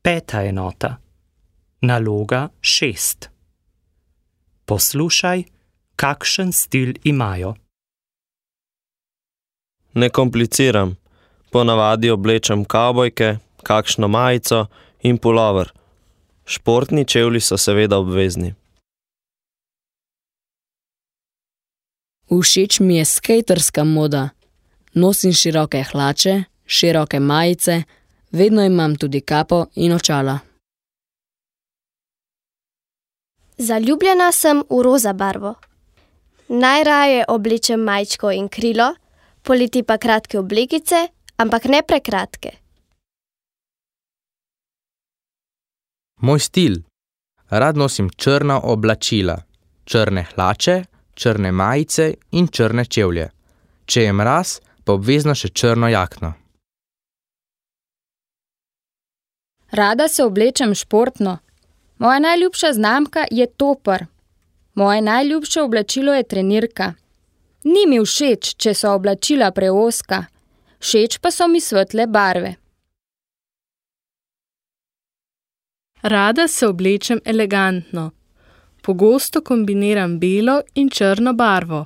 5. enota. Naloga 6. Poslušaj, kakšen stil imajo. Ne kompliciram. Ponavadi oblečem kavbojke, kakšno majico in pulover. Športni čevlji so seveda obvezni. Všeč mi je skejterska moda. Nosim široke hlače, široke majice, vedno imam tudi kapo in očala. Zaljubljena sem v roza barvo. Najraje oblečem majčko in krilo, poleti pa kratke oblekice, ampak ne prekratke. Moj stil. Rad nosim črna oblačila, črne hlače, črne majice in črne čevlje. Če je mraz, pa obvezno še črno jakno. Rada se oblečem športno. Moja najljubša znamka je Topper. Moje najljubše oblačilo je trenirka. Ni mi všeč, če so oblačila preozka. Všeč pa so mi svetle barve. Rada se oblečem elegantno. Pogosto kombiniram belo in črno barvo.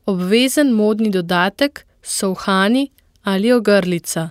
Obvezen modni dodatek so uhani ali ogrlica.